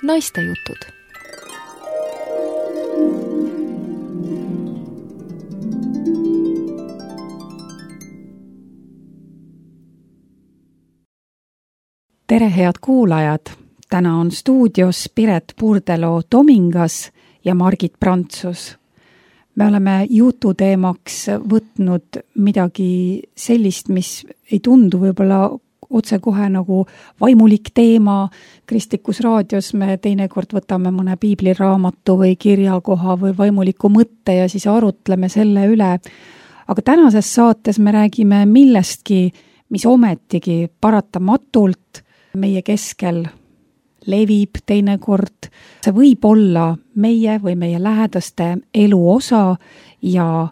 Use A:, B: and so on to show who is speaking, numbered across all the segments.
A: Naistejutud.
B: Tere, head kuulajad! Täna on stuudios Piret Purdelo-Tomingas ja Margit Prantsus. Me oleme jututeemaks võtnud midagi sellist, mis ei tundu võib-olla otsekohe nagu vaimulik teema. Kristlikus raadios me teinekord võtame mõne piibliraamatu või kirjakoha või vaimuliku mõtte ja siis arutleme selle üle. Aga tänases saates me räägime millestki, mis ometigi paratamatult meie keskel levib teinekord. See võib olla meie või meie lähedaste elu osa ja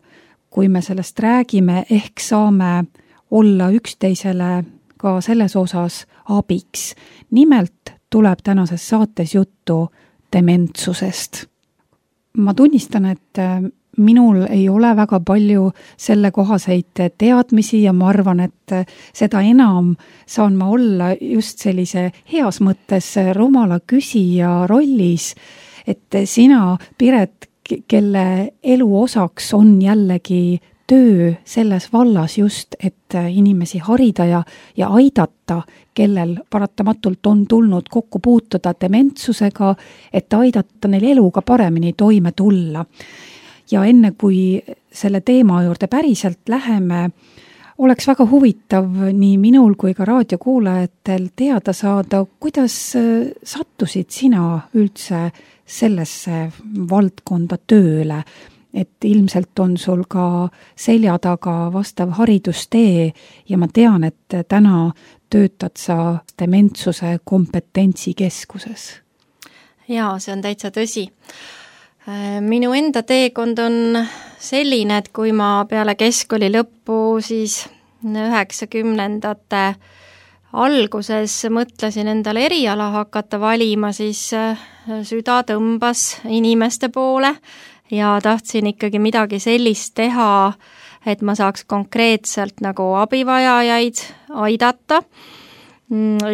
B: kui me sellest räägime, ehk saame olla üksteisele ka selles osas abiks. Nimelt tuleb tänases saates juttu dementsusest. Ma tunnistan, et minul ei ole väga palju sellekohaseid teadmisi ja ma arvan, et seda enam saan ma olla just sellise heas mõttes rumala küsija rollis, et sina, Piret, kelle elu osaks on jällegi töö selles vallas just, et inimesi harida ja aidata, kellel paratamatult on tulnud kokku puutuda dementsusega, et aidata neil eluga paremini toime tulla. Ja enne kui selle teema juurde päriselt läheme, oleks väga huvitav nii minul kui ka raadiokuulajatel teada saada, kuidas sattusid sina üldse sellesse valdkonda tööle, et ilmselt on sul ka selja taga vastav haridustee ja ma tean, et täna töötad sa dementsuse kompetentsikeskuses.
C: Jaa, see on täitsa tõsi. Minu enda teekond on selline, et kui ma peale keskkooli lõppu siis 90ndate alguses mõtlesin endale eriala hakata valima, siis süda tõmbas inimeste poole ja tahtsin ikkagi midagi sellist teha, et ma saaks konkreetselt nagu abivajajaid aidata.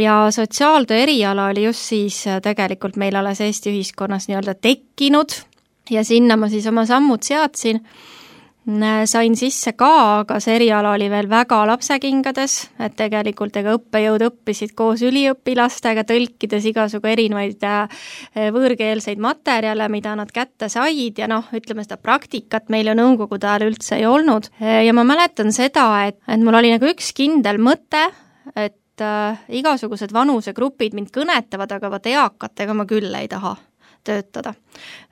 C: Ja sotsiaaltöö eriala oli just siis tegelikult meil alles Eesti ühiskonnas nii-öelda tekkinud ja sinna ma siis oma sammud seadsin. Sain sisse ka, aga see eriala oli veel väga lapsekingades, et tegelikult õppejõud õppisid koos üliõpilastega, tõlkides igasugu erinevaid võõrkeelseid materjale, mida nad kätte said ja ütleme seda praktikat meil ju nõukogude ajal üldse ei olnud. Ja ma mäletan seda, et mul oli nagu üks kindel mõte, et igasugused vanusegrupid mind kõnetavad, aga eakatega ma küll ei taha töötada.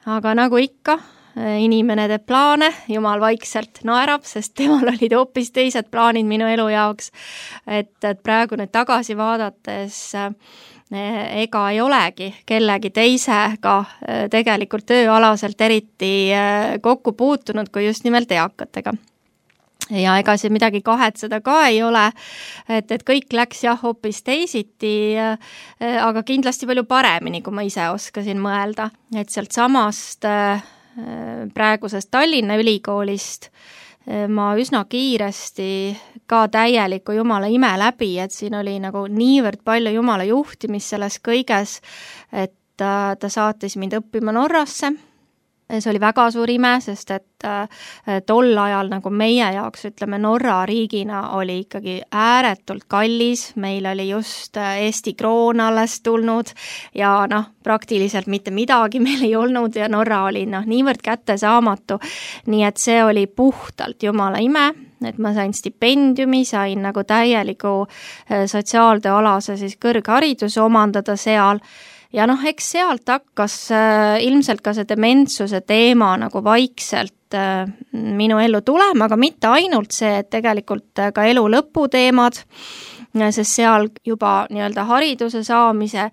C: Aga nagu ikka, inimene teeb plaane, Jumal vaikselt naerab, sest temal olid hoopis teised plaanid minu elu jaoks. Et praegu nüüd tagasi vaadates ega ei olegi kellegi teisega tegelikult tööalaselt eriti kokku puutunud kui just nimelt eakatega. Ja ega see midagi kahetseda ka ei ole, et kõik läks hoopis teisiti, aga kindlasti palju paremini, kui ma ise oskasin mõelda. Et sealt samast praegusest Tallinna ülikoolist ma üsna kiiresti ka täieliku Jumala ime läbi, et siin oli nagu niivõrd palju Jumala juhtimist selles kõiges, et ta saatis mind õppima Norrasse. See oli väga suur ime, sest et tol ajal nagu meie jaoks, ütleme Norra riigina oli ikkagi ääretult kallis, meil oli just Eesti kroon alles tulnud ja praktiliselt mitte midagi meil ei olnud ja Norra oli niivõrd kättesaamatu, nii et see oli puhtalt Jumala ime, et ma sain stipendiumi, sain nagu täieliku sotsiaaltööalase siis kõrghariduse omandada seal. Ja eks sealt hakkas ilmselt ka see dementsuse teema nagu vaikselt minu ellu tulema, aga mitte ainult see, et tegelikult ka elu lõputeemad, sest seal juba nii-öelda hariduse saamise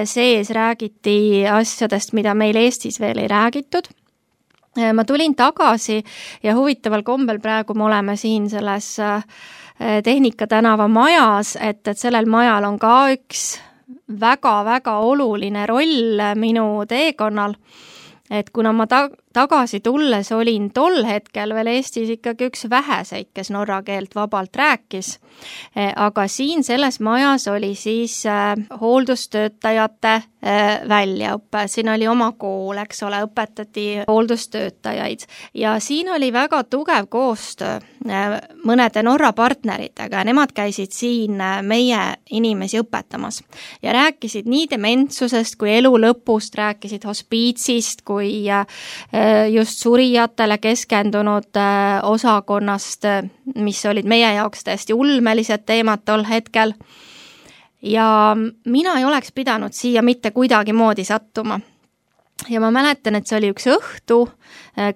C: sees räägiti asjadest, mida meil Eestis veel ei räägitud. Ma tulin tagasi ja huvitaval kombel praegu me oleme siin selles Tehnika tänava majas, et sellel majal on ka üks väga-väga oluline roll minu teekonnal, et kuna ma tagasi tulles olin tol hetkel veel Eestis ikkagi üks väheseid, kes norra keelt vabalt rääkis. Aga siin selles majas oli siis hooldustöötajate väljaõppe. Siin oli oma kool, eks ole, õpetati hooldustöötajaid. Ja siin oli väga tugev koostöö mõnede Norra partneritega ja nemad käisid siin meie inimesi õpetamas. Ja rääkisid nii dementsusest kui elu lõpust, rääkisid hospiitsist kui just surijatele keskendunud osakonnast, mis olid meie jaoks täiesti ulmelised teemad tol hetkel. Ja mina ei oleks pidanud siia mitte kuidagi moodi sattuma. Ja ma mäletan, et see oli üks õhtu,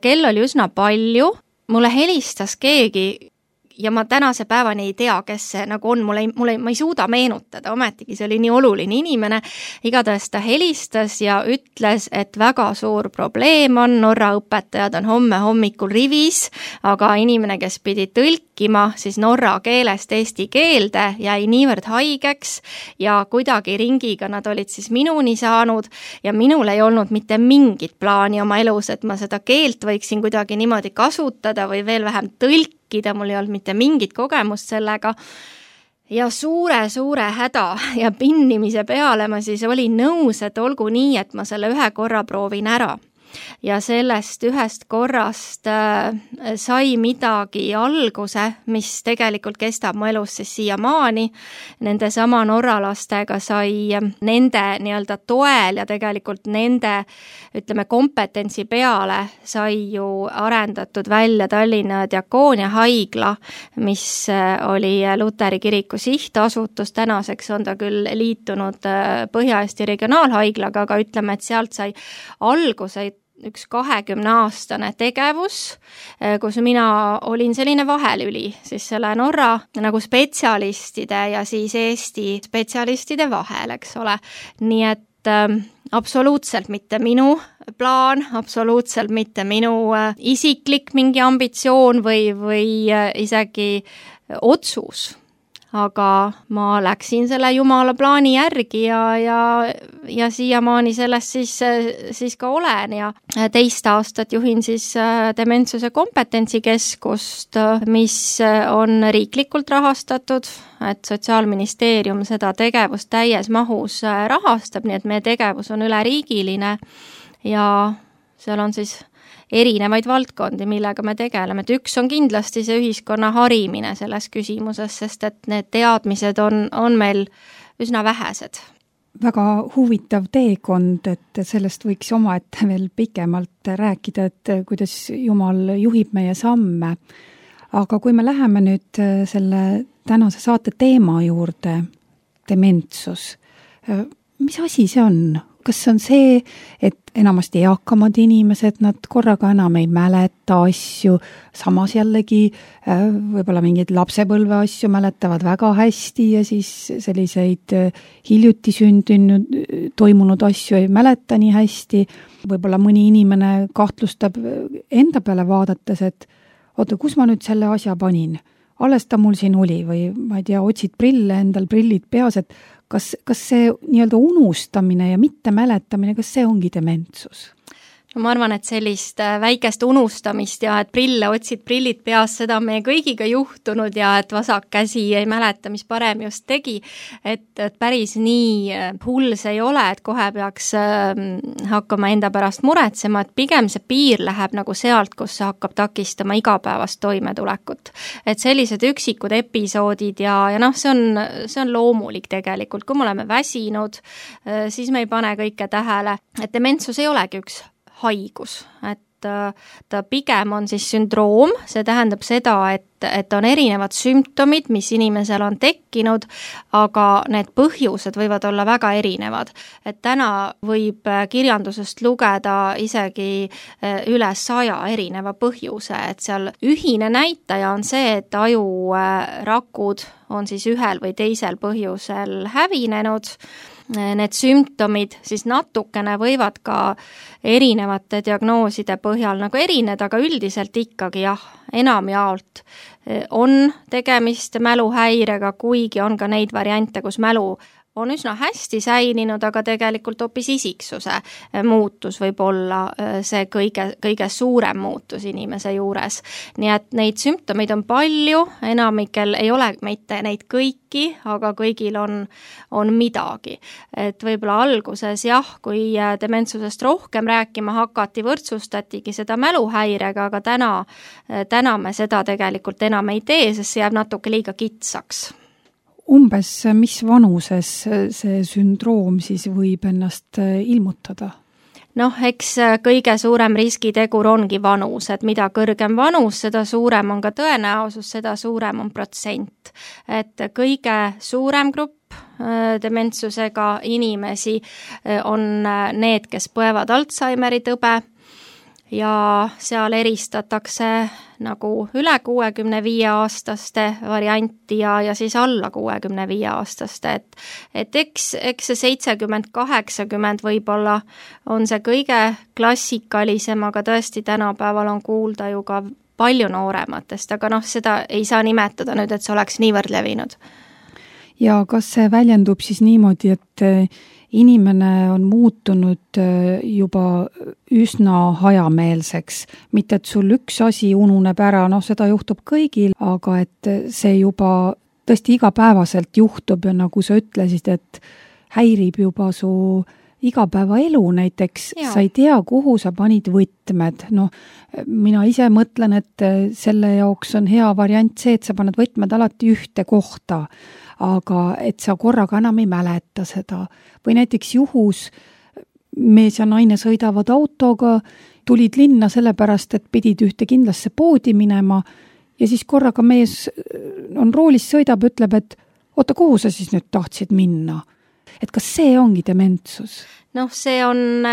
C: kell oli üsna palju, mulle helistas keegi ja ma tänase päevani ei tea, kes see nagu on, ma ei suuda meenutada, ometigi see oli nii oluline inimene, igatahes ta helistas ja ütles, et väga suur probleem on, Norra õpetajad on homme hommikul rivis, aga inimene, kes pidi tõlkima siis norra keelest eesti keelde, jäi niivõrd haigeks ja kuidagi ringiga nad olid siis minuni saanud ja minul ei olnud mitte mingit plaani oma elus, et ma seda keelt võiksin kuidagi niimoodi kasutada või veel vähem tõlkida, mul ei olnud mitte mingit kogemust sellega ja suure häda ja pinnimise peale ma siis olin nõus, et olgu nii, et ma selle ühe korra proovin ära. Ja sellest ühest korrast sai midagi alguse, mis tegelikult kestab mu elus siis siiamaani. Nende sama norralastega sai nende nii-öelda toel ja tegelikult nende, ütleme, kompetentsi peale sai ju arendatud välja Tallinna Diakoonia haigla, mis oli Luteri kiriku sihtasutus. Tänaseks on ta küll liitunud Põhja-Eesti regionaalhaiglaga, aga ütleme, et sealt sai alguse üks 20-aastane tegevus, kus mina olin selline vahelüli siis selle Norra nagu spetsialistide ja siis Eesti spetsialistide vahel, eks ole. Nii et absoluutselt mitte minu plaan, absoluutselt mitte minu isiklik mingi ambitsioon või isegi otsus. Aga ma läksin selle Jumala plaani järgi ja siiamaani sellest siis ka olen ja 2 aastat juhin siis dementsuse kompetentsikeskust, mis on riiklikult rahastatud, et Sotsiaalministeerium seda tegevust täies mahus rahastab, nii et meie tegevus on üleriigiline ja seal on siis erinevaid valdkondi, millega me tegeleme. Et üks on kindlasti see ühiskonna harimine selles küsimuses, sest et need teadmised on meil üsna vähesed.
B: Väga huvitav teekond, et sellest võiks omaette veel pikemalt rääkida, et kuidas Jumal juhib meie samme. Aga kui me läheme nüüd selle tänase saate teema juurde, dementsus, mis asi see on? Kas see on see, et enamasti eakamad inimesed, nad korraga enam ei mäleta asju, samas jällegi võib-olla mingeid lapsepõlve asju mäletavad väga hästi ja siis selliseid hiljuti sündinud, toimunud asju ei mäleta nii hästi. Võib-olla mõni inimene kahtlustab enda peale vaadates, et oota, kus ma nüüd selle asja panin? Alles ta mul siin oli või ma ei tea, otsid prille, endal prillid peas, et kas see nii-öelda unustamine ja mitte mäletamine, kas see ongi dementsus?
C: No ma arvan, et sellist väikest unustamist ja et prille otsid prillid peas, seda on meie kõigiga juhtunud ja et vasak käsi ei mäleta, mis parem just tegi, et päris nii hull see ei ole, et kohe peaks hakkama enda pärast muretsema, et pigem see piir läheb nagu sealt, kus see hakkab takistama igapäevast toimetulekut. Et sellised üksikud episoodid ja noh, see on loomulik tegelikult, kui me oleme väsinud, siis me ei pane kõike tähele, et dementsus ei olegi üks haigus, et ta pigem on siis sündroom, see tähendab seda, et on erinevad sümptomid, mis inimesel on tekkinud, aga need põhjused võivad olla väga erinevad. Et täna võib kirjandusest lugeda isegi üle 100 erineva põhjuse, et seal ühine näitaja on see, et ajurakud on siis ühel või teisel põhjusel hävinenud. Need sümptomid siis natukene võivad ka erinevate diagnooside põhjal nagu erineda, aga üldiselt ikkagi jah, enamjaolt on tegemist mäluhäirega, kuigi on ka neid variante, kus mälu on üsna hästi säilinud, aga tegelikult hoopis isiksuse muutus võib olla see kõige suurem muutus inimese juures. Nii et neid sümptomeid on palju, enamikel ei ole mitte neid kõiki, aga kõigil on midagi. Et võib-olla alguses kui dementsusest rohkem rääkima hakati, võrdsustatigi seda mäluhäirega, aga täna me seda tegelikult enam ei tee, sest see jääb natuke liiga kitsaks.
B: Umbes mis vanuses see sündroom siis võib ennast ilmutada?
C: Eks kõige suurem riskitegur ongi vanus, et mida kõrgem vanus, seda suurem on ka tõenäosus, seda suurem on protsent. Et kõige suurem grupp dementsusega inimesi on need, kes põevad Alzheimeri tõbe ja seal eristatakse nagu üle 65-aastaste varianti ja siis alla 65-aastaste, et eks see 70-80 võib-olla on see kõige klassikalisem, aga tõesti tänapäeval on kuulda ju ka palju noorematest, aga seda ei saa nimetada nüüd, et see oleks niivõrd levinud.
B: Ja kas see väljendub siis niimoodi, et inimene on muutunud juba üsna hajameelseks, mitte et sul üks asi ununeb ära, seda juhtub kõigil, aga et see juba tõesti igapäevaselt juhtub ja nagu sa ütlesid, et häirib juba su igapäevaelu näiteks, sa ei tea, kuhu sa panid võtmed. Mina ise mõtlen, et selle jaoks on hea variant see, et sa paned võtmed alati ühte kohta, aga et sa korraga enam ei mäleta seda. Või näiteks juhus, mees ja naine sõidavad autoga, tulid linna sellepärast, et pidid ühte kindlasse poodi minema ja siis korraga mees on roolis, sõidab, ütleb, et oota, kuhu sa siis nüüd tahtsid minna? Et kas see ongi dementsus?
C: See on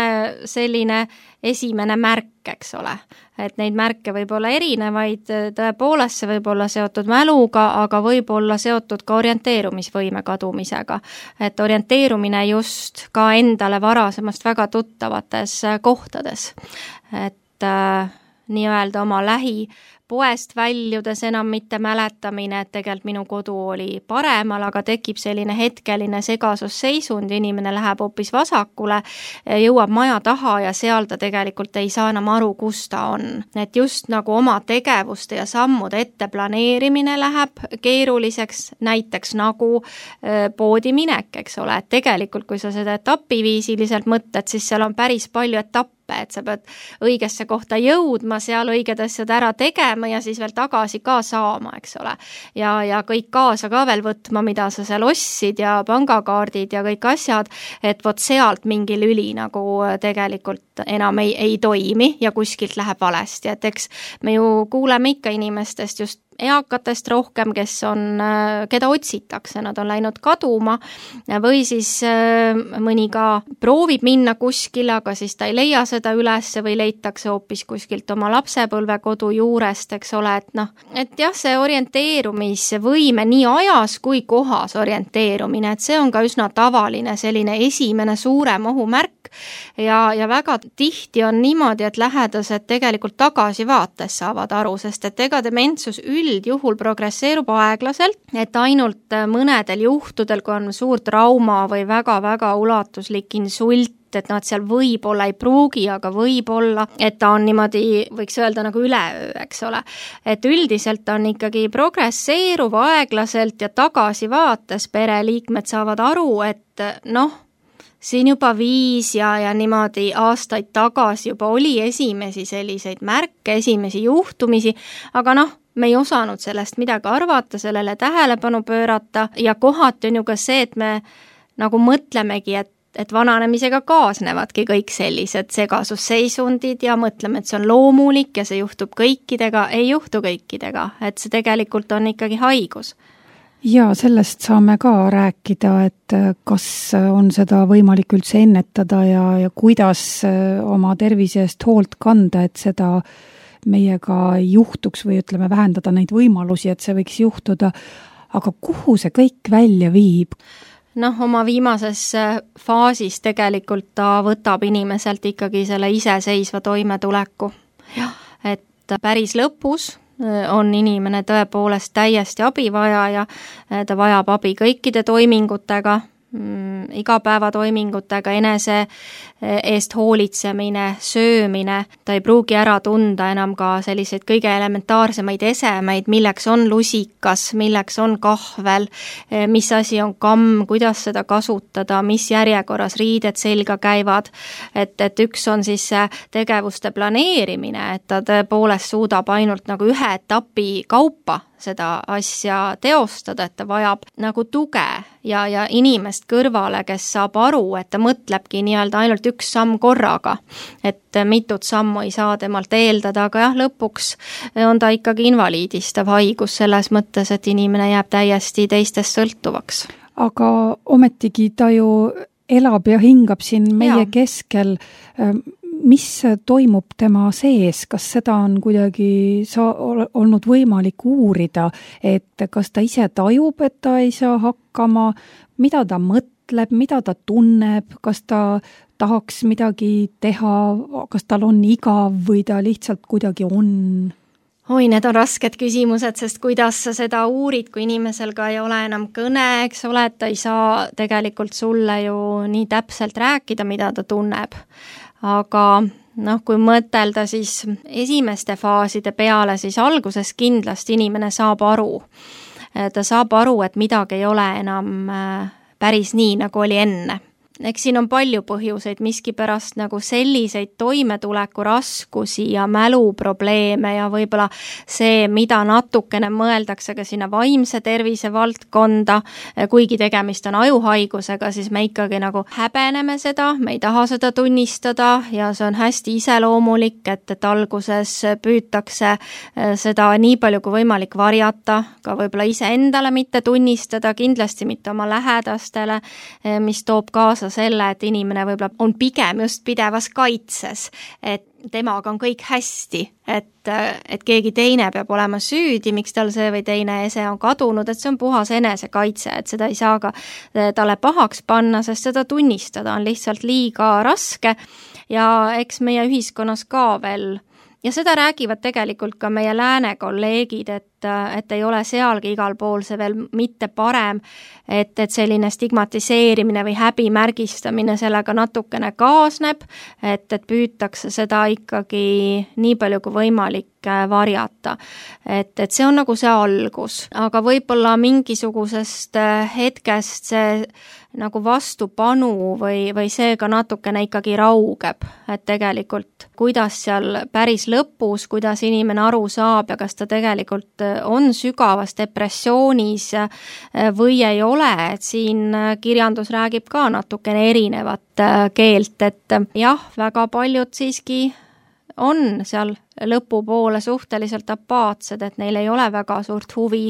C: selline esimene märk, eks ole. Et neid märke võib olla erinevaid, tõepoolest see võib olla seotud mäluga, aga võib olla seotud ka orienteerumisvõime kadumisega. Et orienteerumine just ka endale varasemast väga tuttavates kohtades. Et nii-öelda oma poest väljudes enam mitte mäletamine, et tegelikult minu kodu oli paremal, aga tekib selline hetkeline segasusseisund, inimene läheb hoopis vasakule, jõuab maja taha ja seal ta tegelikult ei saa enam aru, kus ta on. Et just nagu oma tegevuste ja sammude ette planeerimine läheb keeruliseks, näiteks nagu poodi minek, eks ole, et tegelikult kui sa seda etapiviisiliselt mõtled, siis seal on päris palju etappe, et sa pead õigesse kohta jõudma, seal õiged asjad ära tegema ja siis veel tagasi ka saama, eks ole. Ja kõik kaasa ka veel võtma, mida sa seal ostsid ja pangakaardid ja kõik asjad, et vot sealt mingi lüli nagu tegelikult enam ei toimi ja kuskilt läheb valesti, et eks me ju kuuleme ikka inimestest just eakatest rohkem, keda otsitakse, nad on läinud kaduma või siis mõni ka proovib minna kuskile, aga siis ta ei leia seda üles või leitakse hoopis kuskilt oma lapsepõlvekodu juurest, eks ole, et jah, see orienteerumisvõime nii ajas kui kohas orienteerumine, et see on ka üsna tavaline selline esimene suurem ohumärk ja väga tihti on niimoodi, et lähedased tegelikult tagasivaates saavad aru, sest et ega dementsus üldjuhul progresseerub aeglaselt, et ainult mõnedel juhtudel, kui on suur trauma või väga-väga ulatuslik insult, et nad seal võib-olla ei pruugi, aga võib-olla, et ta on niimoodi, võiks öelda nagu üleöö, eks ole. Et üldiselt on ikkagi progresseeruv aeglaselt ja tagasivaates pereliikmed saavad aru, et siin juba 5 ja niimoodi aastaid tagasi juba oli esimesi selliseid märke, esimesi juhtumisi, aga me ei osanud sellest midagi arvata, sellele tähelepanu pöörata ja kohati on ju ka see, et me nagu mõtlemegi, et vananemisega kaasnevadki kõik sellised segasusseisundid ja mõtleme, et see on loomulik ja see juhtub kõikidega, ei juhtu kõikidega, et see tegelikult on ikkagi haigus.
B: Ja sellest saame ka rääkida, et kas on seda võimalik üldse ennetada ja kuidas oma tervise eest hoolt kanda, et seda meiega ei juhtuks või ütleme, vähendada neid võimalusi, et see võiks juhtuda. Aga kuhu see kõik välja viib?
C: Oma viimases faasis tegelikult ta võtab inimeselt ikkagi selle iseseisva toimetuleku. Et päris lõpus on inimene tõepoolest täiesti abivajaja, ta vajab abi kõikide toimingutega, igapäevatoimingutega, enese eest hoolitsemine, söömine, ta ei pruugi ära tunda enam ka selliseid kõige elementaarsemaid esemeid, milleks on lusikas, milleks on kahvel, mis asi on kamm, kuidas seda kasutada, mis järjekorras riided selga käivad, et üks on siis see tegevuste planeerimine, et ta tõepoolest suudab ainult nagu ühe etapi kaupa seda asja teostada, et ta vajab nagu tuge ja inimest kõrvale, kes saab aru, et ta mõtlebki nii-öelda ainult üks samm korraga, et mitut sammu ei saa temalt eeldada, aga jah, lõpuks on ta ikkagi invaliidistav haigus selles mõttes, et inimene jääb täiesti teistest sõltuvaks.
B: Aga ometigi ta ju elab ja hingab siin meie keskel. Mis toimub tema sees, kas seda on kuidagi olnud võimalik uurida, et kas ta ise tajub, et ta ei saa hakkama, mida ta mõtleb, mida ta tunneb, kas ta tahaks midagi teha, kas tal on igav või ta lihtsalt kuidagi on?
C: Oi, need on rasked küsimused, sest kuidas sa seda uurid, kui inimesel ka ei ole enam kõne, eks ole, et ta ei saa tegelikult sulle ju nii täpselt rääkida, mida ta tunneb. Aga kui mõtelda siis esimeste faaside peale, siis alguses kindlasti inimene saab aru. Ta saab aru, et midagi ei ole enam päris nii, nagu oli enne. Eks siin on palju põhjuseid, miskipärast nagu selliseid toimetuleku raskusi ja mäluprobleeme ja võib-olla see, mida natukene mõeldakse ka sinna vaimse tervise valdkonda, kuigi tegemist on ajuhaigusega, siis me ikkagi nagu häbeneme seda, me ei taha seda tunnistada ja see on hästi iseloomulik, et alguses püütakse seda nii palju kui võimalik varjata, ka võib-olla iseendale mitte tunnistada, kindlasti mitte oma lähedastele, mis toob kaasa selle, et inimene võib-olla on pigem just pidevas kaitses, et temaga on kõik hästi, et keegi teine peab olema süüdi, miks tal see või teine ese on kadunud, et see on puhas enesekaitse, et seda ei saa ka talle pahaks panna, sest seda tunnistada on lihtsalt liiga raske ja eks meie ühiskonnas ka veel. Ja seda räägivad tegelikult ka meie lääne kolleegid, et ei ole sealgi igal pool see veel mitte parem, et selline stigmatiseerimine või häbimärgistamine sellega natukene kaasneb, et püütakse seda ikkagi nii palju kui võimalik varjata. Et see on nagu see algus, aga võib-olla mingisugusest hetkest see nagu vastupanu või see ka natukene ikkagi raugeb, et tegelikult kuidas seal päris lõpus, kuidas inimene aru saab ja kas ta tegelikult on sügavas depressioonis või ei ole, et siin kirjandus räägib ka natukene erinevat keelt, et jah, väga paljud siiski on seal lõpupoole suhteliselt apaatsed, et neil ei ole väga suurt huvi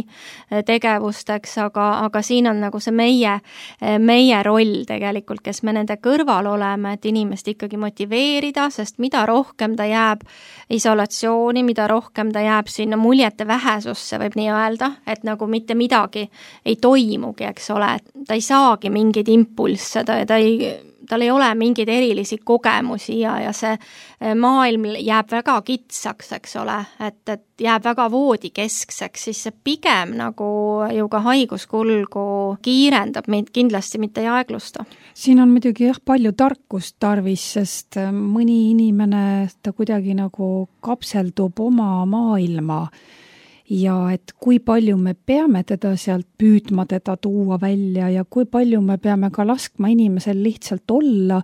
C: tegevusteks, aga siin on nagu see meie roll tegelikult, kes me nende kõrval oleme, et inimest ikkagi motiveerida, sest mida rohkem ta jääb isolatsiooni, mida rohkem ta jääb sinna muljete vähesusse, võib nii öelda, et nagu mitte midagi ei toimugi, eks ole, et ta ei saagi mingeid impulsse, tal ei ole mingeid erilisi kogemusi ja see maailm jääb väga kitsaks, eks ole, et jääb väga voodikeskseks, siis see pigem nagu ju ka haiguskulgu kiirendab, meid kindlasti mitte ei aeglusta.
B: Siin on muidugi palju tarkust tarvis, sest mõni inimene ta kuidagi nagu kapseldub oma maailma ja et kui palju me peame teda sealt püüdma teda tuua välja ja kui palju me peame ka laskma inimesel lihtsalt olla,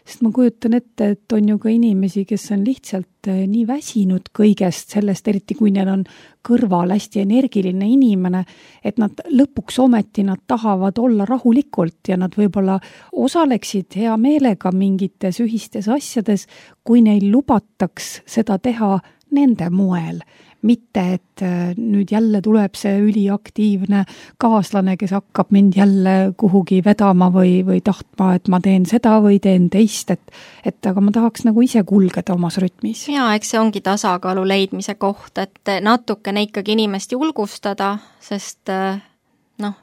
B: sest ma kujutan ette, et on ju ka inimesi, kes on lihtsalt nii väsinud kõigest sellest, eriti kui neil on kõrval hästi energiline inimene, et nad lõpuks ometi nad tahavad olla rahulikult ja nad võib-olla osaleksid hea meelega mingites ühistes asjades, kui neil lubataks seda teha nende moel. Mitte, et nüüd jälle tuleb see üliaktiivne kaaslane, kes hakkab mind jälle kuhugi vedama või tahtma, et ma teen seda või teen teist, et aga ma tahaks nagu ise kulgeda omas rütmis.
C: Jaa, eks see ongi tasakaalu leidmise koht, et natukene ikkagi inimest julgustada, sest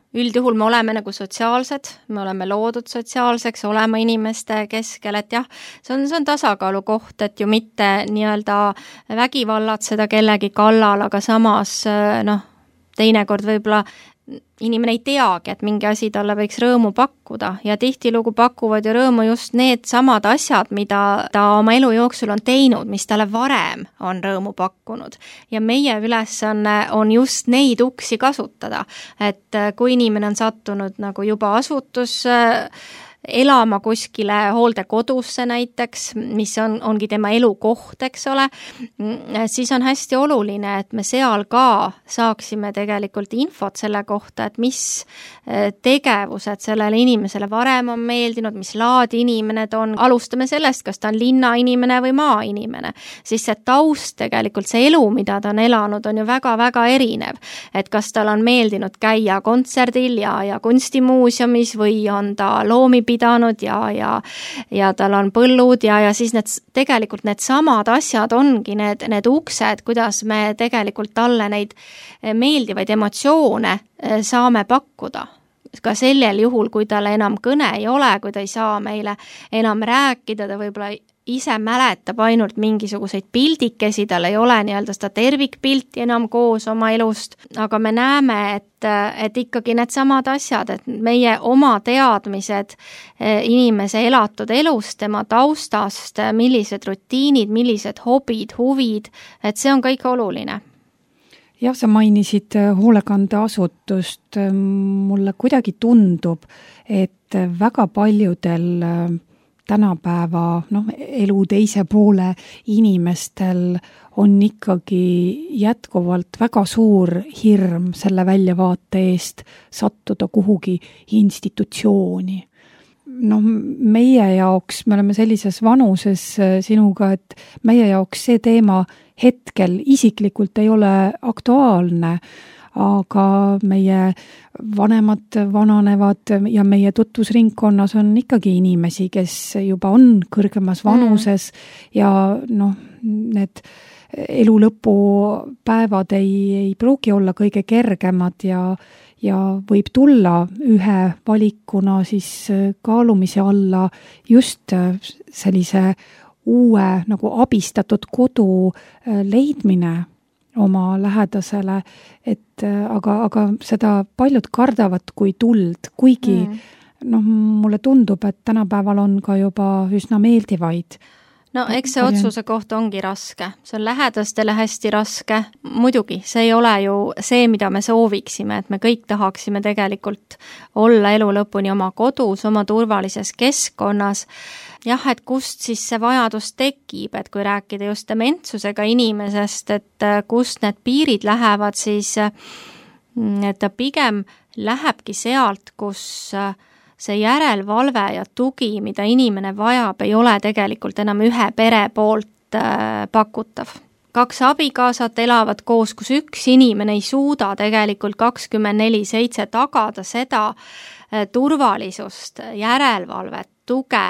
C: üldjuhul me oleme nagu sotsiaalsed, me oleme loodud sotsiaalseks, olema inimeste keskel, et jah, see on tasakaalu koht, et ju mitte nii-öelda vägivallatseda kellegi kallal, aga samas teinekord võib-olla inimene ei teagi, et mingi asi talle võiks rõõmu pakkuda ja tihtilugu pakuvad ju rõõmu just need samad asjad, mida ta oma elu jooksul on teinud, mis talle varem on rõõmu pakkunud. Ja meie ülesanne on just neid uksi kasutada, et kui inimene on sattunud nagu juba elama kuskile hooldekodusse näiteks, mis ongi tema elukoht, eks ole, siis on hästi oluline, et me seal ka saaksime tegelikult infot selle kohta, et mis tegevused sellele inimesele varem on meeldinud, mis laadi inimene ta on. Alustame sellest, kas ta on linnainimene või maainimene. Siis see taust tegelikult, see elu, mida ta on elanud, on ju väga-väga erinev. Et kas tal on meeldinud käia kontserdil ja kunstimuuseumis või on ta loomi pidanud ja tal on põllud ja siis tegelikult need samad asjad ongi need uksed, kuidas me tegelikult talle neid meeldivaid emotsioone saame pakkuda. Ka sellel juhul, kui talle enam kõne ei ole, kui ta ei saa meile enam rääkida, ta võib-olla ise mäletab ainult mingisuguseid pildikesi, tal ei ole nii-öelda seda tervikpilti enam koos oma elust, aga me näeme, et ikkagi need samad asjad, et meie oma teadmised inimese elatud elust, tema taustast, millised rutiinid, millised hobid, huvid, et see on kõik oluline.
B: Jah, sa mainisid hoolekandeasutust. Mulle kuidagi tundub, et väga paljudel tänapäeva elu teise poole inimestel on ikkagi jätkuvalt väga suur hirm selle väljavaate eest sattuda kuhugi institutsiooni. Meie jaoks, me oleme sellises vanuses sinuga, et meie jaoks see teema hetkel isiklikult ei ole aktuaalne, aga meie vanemad vananevad ja meie tutvusringkonnas on ikkagi inimesi, kes juba on kõrgemas vanuses ja need elu lõpupäevad ei pruugi olla kõige kergemad ja võib tulla ühe valikuna siis kaalumise alla just sellise uue nagu abistatud kodu leidmine oma lähedasele, aga seda paljud kardavad kui tuld, kuigi mulle tundub, et tänapäeval on ka juba üsna meeldivaid.
C: No eks see otsuse koht ongi raske, see on lähedastele hästi raske, muidugi, see ei ole ju see, mida me sooviksime, et me kõik tahaksime tegelikult olla elu lõpuni oma kodus, oma turvalises keskkonnas. Jah, et kust siis see vajadus tekib, et kui rääkida just dementsusega inimesest, et kust need piirid lähevad, siis et ta pigem lähebki sealt, kus see järelvalve ja tugi, mida inimene vajab, ei ole tegelikult enam ühe pere poolt pakutav. 2 abikaasat elavad koos, kus üks inimene ei suuda tegelikult 24/7 tagada seda turvalisust, järelvalvet, tuge,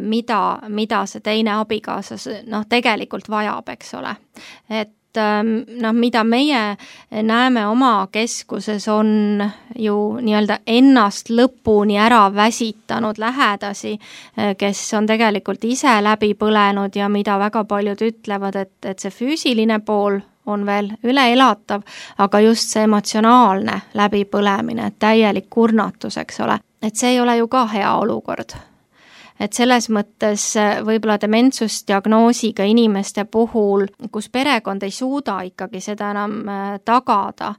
C: mida see teine abikaasa tegelikult vajab, eks ole. Et mida meie näeme oma keskuses on ju nii-öelda ennast lõpuni ära väsitanud lähedasi, kes on tegelikult ise läbi põlenud ja mida väga paljud ütlevad, et see füüsiline pool on veel üleelatav, aga just see emotsionaalne läbipõlemine, täielik kurnatus, eks ole, et see ei ole ju ka hea olukord. Et selles mõttes võib-olla dementsusdiagnoosiga inimeste puhul, kus perekond ei suuda ikkagi seda enam tagada,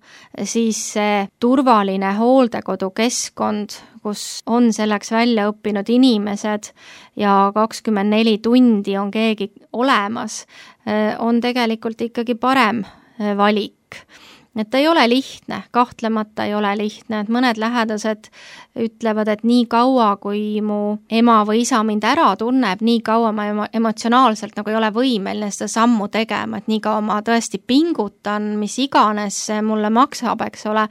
C: siis see turvaline hooldekodukeskkond, kus on selleks välja õppinud inimesed ja 24 tundi on keegi olemas, on tegelikult ikkagi parem valik. Et ei ole lihtne, kahtlemata ei ole lihtne, et mõned lähedased ütlevad, et nii kaua, kui mu ema või isa mind ära tunneb, nii kaua ma emotsionaalselt nagu ei ole võimeline seda sammu tegema, et nii kaua ma tõesti pingutan, mis iganes see mulle maksab, eks ole,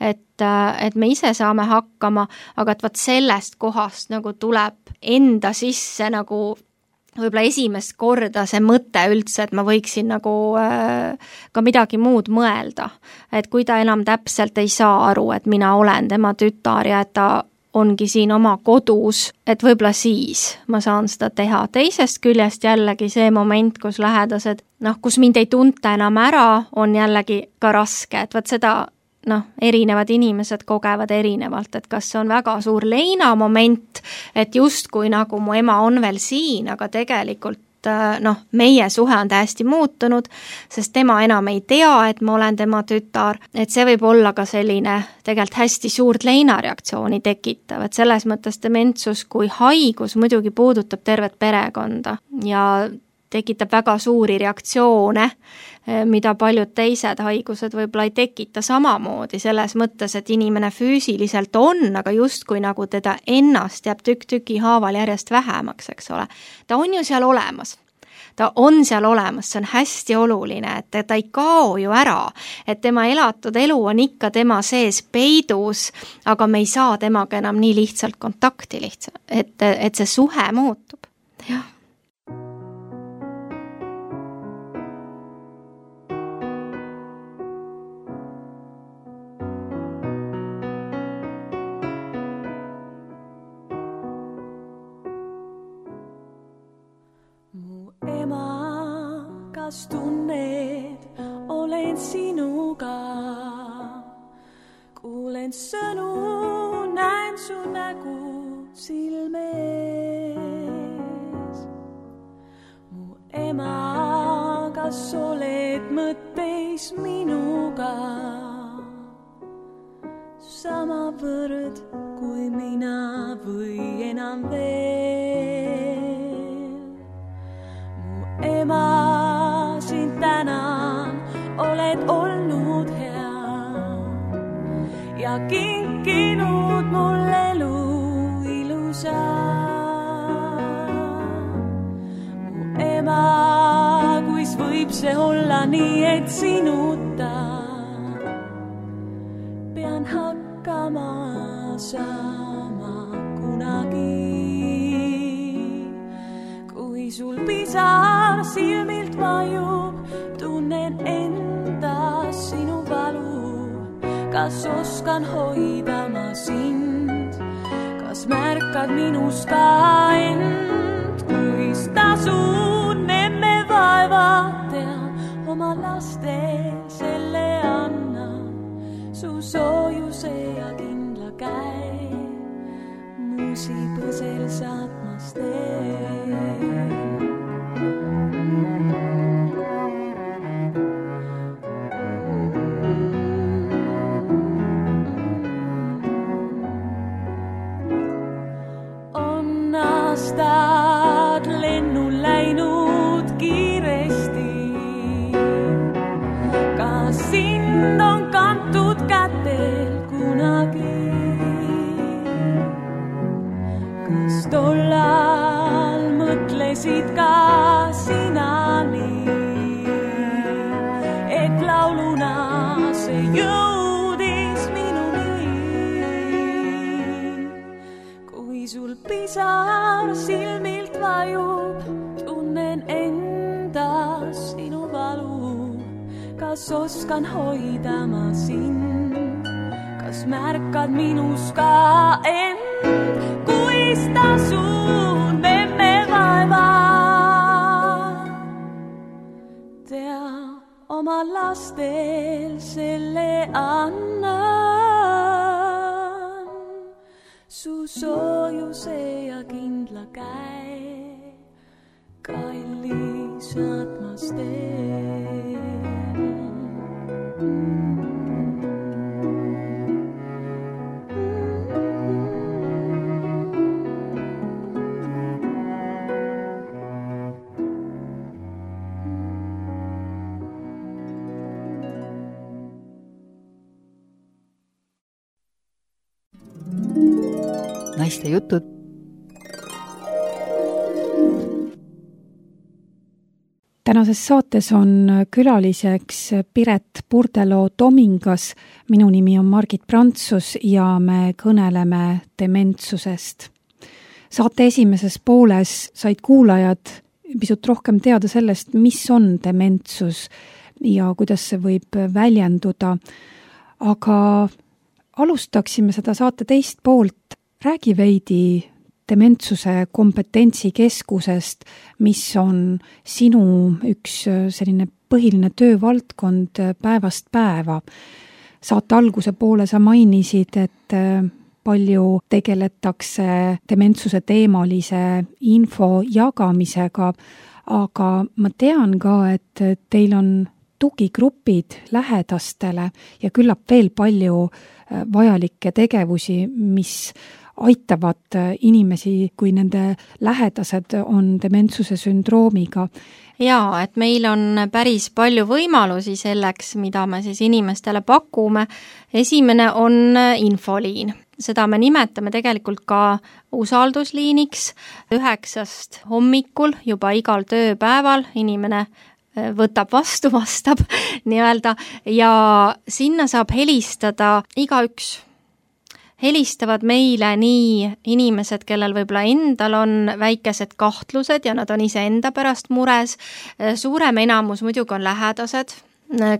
C: et me ise saame hakkama, aga et vaat sellest kohast nagu tuleb enda sisse nagu võib-olla esimest korda see mõte üldse, et ma võiksin nagu ka midagi muud mõelda. Et kui ta enam täpselt ei saa aru, et mina olen tema tütar ja et ta ongi siin oma kodus, et võib-olla siis ma saan seda teha. Teisest küljest jällegi see moment, kus lähedased, kus mind ei tunta enam ära, on jällegi ka raske, et vaat seda erinevad inimesed kogevad erinevalt, et kas see on väga suur leina moment, et justkui nagu mu ema on veel siin, aga tegelikult meie suhe on täiesti muutunud, sest tema enam ei tea, et ma olen tema tütar, et see võib olla ka selline tegelikult hästi suurt leinareaktsiooni tekitav, et selles mõttes dementsus kui haigus muidugi puudutab tervet perekonda ja tekitab väga suuri reaktsioone, mida paljud teised haigused võib-olla ei tekita samamoodi, selles mõttes, et inimene füüsiliselt on, aga justkui nagu teda ennast jääb tükk-tüki haaval järjest vähemaks, eks ole. Ta on ju seal olemas. Ta on seal olemas, see on hästi oluline, et ta ei kao ju ära, et tema elatud elu on ikka tema sees peidus, aga me ei saa temaga enam nii lihtsalt kontakti et see suhe muutub. Jah.
A: Kas tunned, olen sinuga, kuulen sõnu, näen su nägu silmes. Mu ema, kas oled mõtteis minuga, samavõrd kui mina või enam veel. Mu ema, sind tänan, oled olnud hea ja kinkinud mulle elu ilusa. Mu ema, kuis võib see olla nii, et sinuta pean hakkama saama kunagi. Kui sul pisar silmilt vajub, tunnen endas sinu valu. Kas oskan hoida ma sind? Kas märkad minus ka end? Kuis tasun emme vaeva tean, oma lastel selle annan. Su soojuse ja kindla käe, muusi põsel saatmas teen. Aastad lennul läinud kiiresti, kas sind on kantud kätel kunagi? Kas tollal mõtlesid ka sina nii, et lauluna see jõudis minuni? Kui sul pisar silmilt vajub, tunnen endas sinu valu. Kas oskan hoida ma sind? Kas märkad minus ka end? Kuis tasun emme vaeva tea, oma lastel selle annan. Su soojuse ja kindla käe, kallis saatmas teen.
B: Naiste jutud. Tänases saates on külaliseks Piret Purdeloo-Tomingas. Minu nimi on Margit Prantsus ja me kõneleme dementsusest. Saate esimeses pooles said kuulajad pisut rohkem teada sellest, mis on dementsus ja kuidas see võib väljenduda. Aga alustaksime seda saate teist poolt. Räägi veidi dementsuse kompetentsikeskusest, mis on sinu üks selline põhiline töövaldkond päevast päeva. saate alguse poole sa mainisid, et palju tegeletakse dementsuse teemalise info jagamisega, aga ma tean ka, et teil on tugigrupid lähedastele ja küllap veel palju vajalikke tegevusi, mis aitavad inimesi, kui nende lähedased on dementsuse sündroomiga.
C: Jaa, et meil on päris palju võimalusi selleks, mida me siis inimestele pakume. Esimene on infoliin. Seda me nimetame tegelikult ka usaldusliiniks. 9 hommikul juba igal tööpäeval inimene võtab vastu, vastab nii-öelda ja sinna saab helistada igaüks. Helistavad meile nii inimesed, kellel võib-olla endal on väikesed kahtlused ja nad on ise enda pärast mures. Suurem enamus muidugi on lähedased,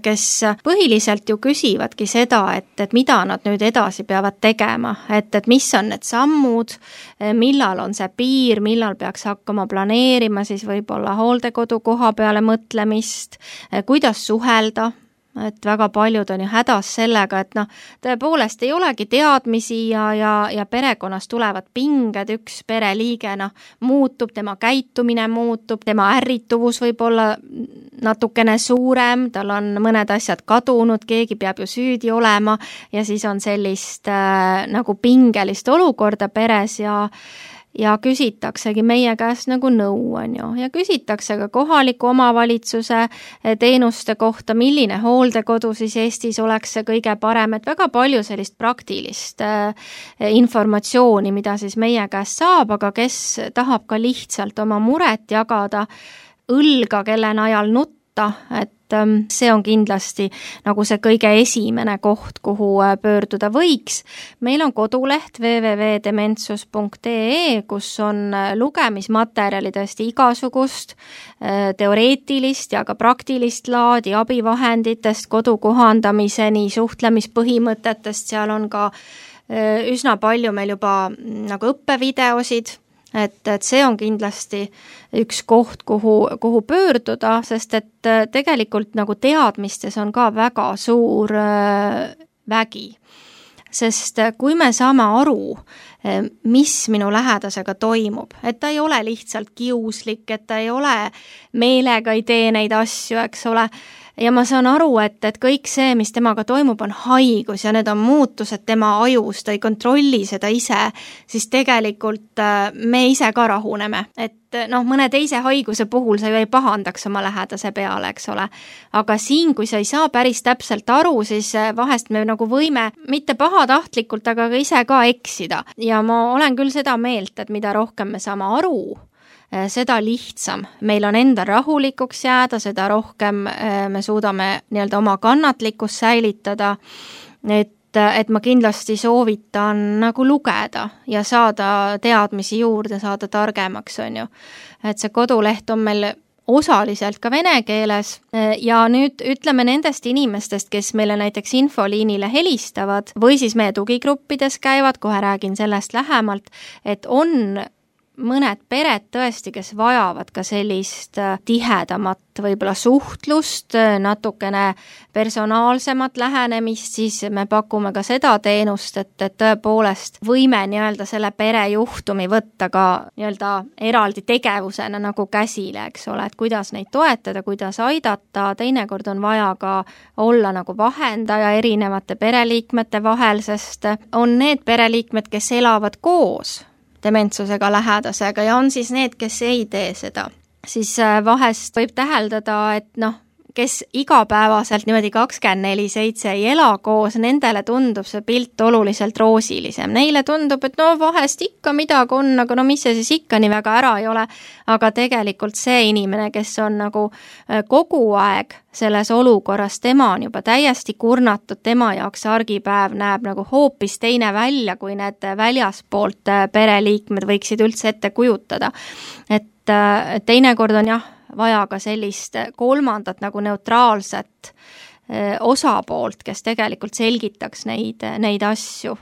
C: kes põhiliselt ju küsivadki seda, et mida nad nüüd edasi peavad tegema, et mis on need sammud, millal on see piir, millal peaks hakkama planeerima siis võib-olla hooldekodu koha peale mõtlemist, kuidas suhelda. Et väga paljud on ju hädas sellega, et tõepoolest ei olegi teadmisi ja perekonnas tulevad pinged, üks pereliige muutub, tema käitumine muutub, tema ärrituvus võib olla natukene suurem, tal on mõned asjad kadunud, keegi peab ju süüdi olema ja siis on sellist nagu pingelist olukorda peres ja küsitaksegi meie käest nagu nõu, on ju, ja küsitakse ka kohaliku omavalitsuse teenuste kohta, milline hooldekodu siis Eestis oleks see kõige parem, et väga palju sellist praktilist informatsiooni, mida siis meie käest saab, aga kes tahab ka lihtsalt oma muret jagada, õlga, kelle najal nutta, et see on kindlasti nagu see kõige esimene koht, kuhu pöörduda võiks. Meil on koduleht www.dementsus.ee, kus on lugemismaterjali tõesti igasugust teoreetilist ja ka praktilist laadi abivahenditest, kodu kohandamiseni, suhtlemispõhimõtetest, seal on ka üsna palju meil juba nagu õppevideosid, et see on kindlasti üks koht, kuhu pöörduda, sest et tegelikult nagu teadmistes on ka väga suur vägi. Sest kui me saame aru, mis minu lähedasega toimub, et ta ei ole lihtsalt kiuslik, et ta ei ole meelega ei tee neid asju, eks ole, ja ma saan aru, et kõik see, mis temaga toimub, on haigus ja need on muutused tema ajus, ta ei kontrolli seda ise, siis tegelikult me ise ka rahuneme. Et mõne teise haiguse puhul sa ju ei pahandaks oma lähedase peale, eks ole. Aga siin, kui sa ei saa päris täpselt aru, siis vahest me nagu võime mitte pahatahtlikult, aga ka ise ka eksida. Ja ma olen küll seda meelt, et mida rohkem me saame aru, seda lihtsam. Meil on enda rahulikuks jääda, seda rohkem me suudame nii-öelda oma kannatlikkust säilitada, et ma kindlasti soovitan nagu lugeda ja saada teadmisi juurde, saada targemaks, on ju. Et see koduleht on meil osaliselt ka vene keeles ja nüüd ütleme nendest inimestest, kes meile näiteks infoliinile helistavad või siis meie tugigruppides käivad, kohe räägin sellest lähemalt, et on mõned pered tõesti, kes vajavad ka sellist tihedamat võib-olla suhtlust, natukene personaalsemat lähenemist, siis me pakume ka seda teenust, et tõepoolest võime nii-öelda selle perejuhtumi võtta ka nii-öelda eraldi tegevusena nagu käsile, eks ole, et kuidas neid toetada, kuidas aidata, teinekord on vaja ka olla nagu vahendaja erinevate pereliikmete vahel, sest on need pereliikmed, kes elavad koos dementsusega lähedasega ja on siis need, kes ei tee seda. Siis vahest võib täheldada, et kes igapäevaselt niimoodi 24/7 ei ela koos, nendele tundub see pilt oluliselt roosilisem. Neile tundub, et vahest ikka midagi on, aga mis see siis ikka nii väga ära ei ole. Aga tegelikult see inimene, kes on nagu kogu aeg selles olukorras, tema on juba täiesti kurnatud, tema jaoks argipäev näeb nagu hoopis teine välja, kui need väljaspoolt pereliikmed võiksid üldse ette kujutada. Et teinekord on vaja ka sellist kolmandat nagu neutraalset osapoolt, kes tegelikult selgitaks neid asju.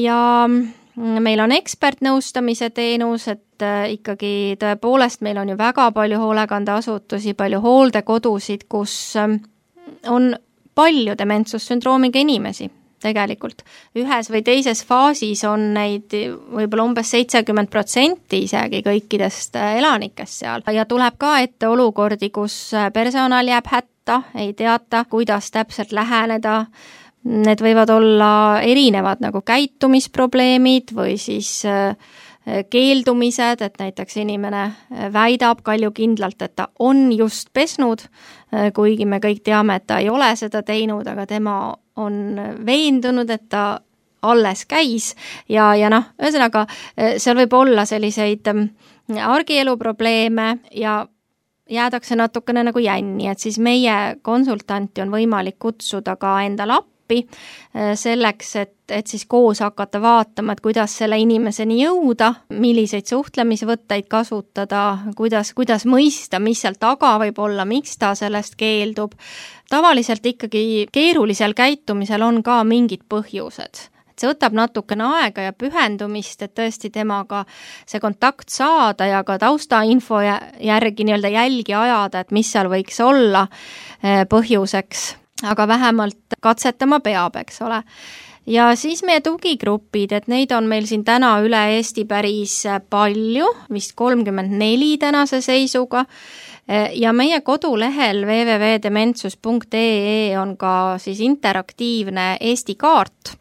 C: Ja meil on ekspertnõustamise teenus, et ikkagi tõepoolest meil on ju väga palju hoolekandeasutusi, palju hooldekodusid, kus on palju dementsussündroomiga inimesi tegelikult. Ühes või teises faasis on neid võib-olla umbes 70% isegi kõikidest elanikest seal ja tuleb ka ette olukordi, kus personal jääb hätta, ei teata, kuidas täpselt läheneda. Need võivad olla erinevad nagu käitumisprobleemid või siis keeldumised, et näiteks inimene väidab kaljukindlalt, et ta on just pesnud, kuigi me kõik teame, et ta ei ole seda teinud, aga tema on veendunud, et ta alles käis ja ühesõnaga seal võib olla selliseid argielu probleeme ja jäädakse natukene nagu jänni, et siis meie konsultanti on võimalik kutsuda ka endale appi selleks, et siis koos hakata vaatama, et kuidas selle inimeseni jõuda, milliseid suhtlemisvõtteid kasutada, kuidas mõista, mis seal taga võib olla, miks ta sellest keeldub. Tavaliselt ikkagi keerulisel käitumisel on ka mingid põhjused. See võtab natukene aega ja pühendumist, et tõesti temaga see kontakt saada ja ka taustainfo järgi nii-öelda jälgi ajada, et mis seal võiks olla põhjuseks. Aga vähemalt katsetama peab, eks ole. Ja siis meie tugigrupid, et neid on meil siin täna üle Eesti päris palju, vist 34 tänase seisuga. Ja meie kodulehel www.dementsus.ee on ka siis interaktiivne Eesti kaart,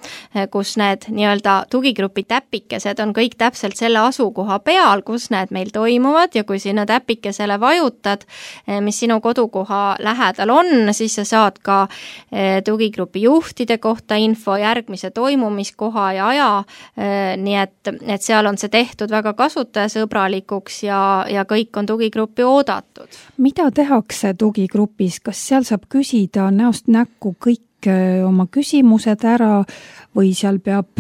C: kus need nii-öelda tugigrupi täpikesed on kõik täpselt selle asukoha peal, kus need meil toimuvad ja kui sinna täpikesele vajutad, mis sinu kodukoha lähedal on, siis sa saad ka tugigrupi juhtide kohta info, järgmise toimumiskoha ja aja, nii et seal on see tehtud väga kasutajasõbralikuks ja kõik on tugigruppi oodatud.
B: Mida tehakse tugigrupis? Kas seal saab küsida näost näkku kõik oma küsimused ära või seal peab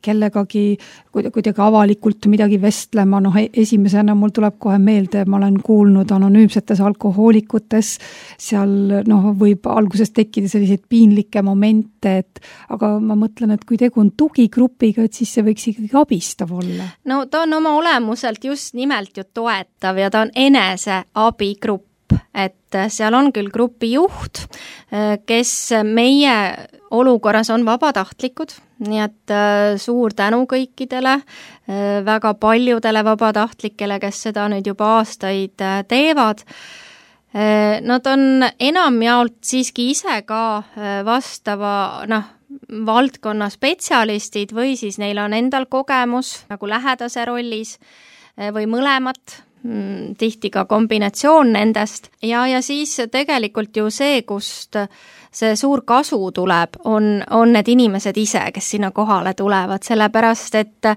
B: kellegagi kuidagi avalikult midagi vestlema? Esimesena mul tuleb kohe meelde, ma olen kuulnud anonüümsetes alkohoolikutes, seal võib alguses tekkida selliseid piinlikke momente, aga ma mõtlen, et kui tegu on tugigrupiga, et siis see võiks ikkagi abistav olla.
C: No ta on oma olemuselt just nimelt ju toetav ja ta on enese abigrupp, et seal on küll grupi juht, kes meie olukorras on vabatahtlikud, nii et suur tänu kõikidele, väga paljudele vabatahtlikele, kes seda nüüd juba aastaid teevad. Nad on enamjaolt siiski ise ka vastava valdkonna spetsialistid või siis neil on endal kogemus nagu lähedase rollis või mõlemat, tihti ka kombinatsioon nendest ja siis tegelikult ju see, kust see suur kasu tuleb, on need inimesed ise, kes sinna kohale tulevad, sellepärast et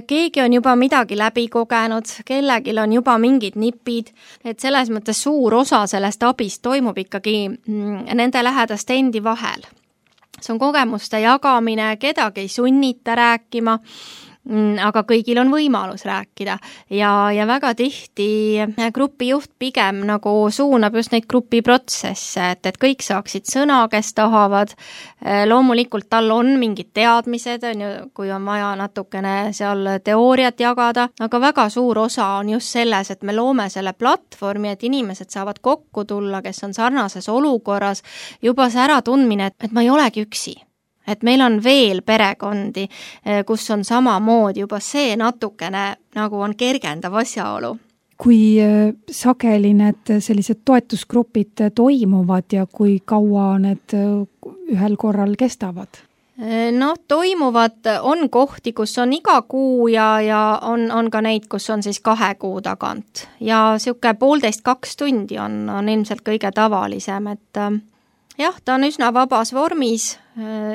C: keegi on juba midagi läbi kogenud, kellegil on juba mingid nipid, et selles mõttes suur osa sellest abist toimub ikkagi nende lähedaste endi vahel. See on kogemuste jagamine, kedagi ei sunnita rääkima, aga kõigil on võimalus rääkida ja väga tihti grupijuht pigem nagu suunab just neid grupiprotsesse, et kõik saaksid sõna, kes tahavad. Loomulikult tal on mingid teadmised, kui on vaja natukene seal teooriat jagada, aga väga suur osa on just selles, et me loome selle platvormi, et inimesed saavad kokku tulla, kes on sarnases olukorras, juba see äratundmine, et ma ei olegi üksi. Et meil on veel perekondi, kus on samamoodi juba see natukene nagu on kergendav asjaolu.
B: Kui sageli need sellised toetusgrupid toimuvad ja kui kaua need ühel korral kestavad?
C: Toimuvad, on kohti, kus on iga kuu ja on ka neid, kus on siis 2 kuu tagant. Ja siuke 1,5–2 tundi on ilmselt kõige tavalisem, et jah, ta on üsna vabas vormis,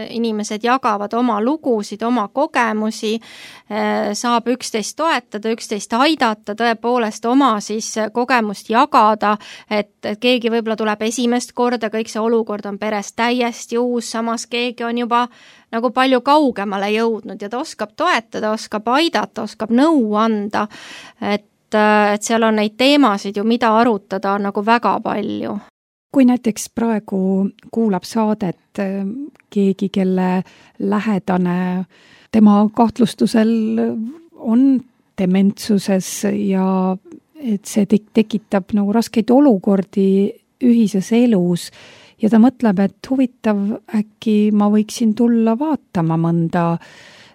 C: inimesed jagavad oma lugusid, oma kogemusi, saab üksteist toetada, üksteist aidata, tõepoolest oma siis kogemust jagada, et keegi võib-olla tuleb esimest korda, kõik see olukord on peres täiesti uus, samas keegi on juba nagu palju kaugemale jõudnud ja ta oskab toetada, oskab aidata, oskab nõu anda, et seal on neid teemasid ju, mida arutada on nagu väga palju.
B: Kui näiteks praegu kuulab saadet keegi, kelle lähedane tema kahtlustusel on dementsuses ja et see tekitab nagu raskeid olukordi ühises elus ja ta mõtleb, et huvitav, äkki ma võiksin tulla vaatama mõnda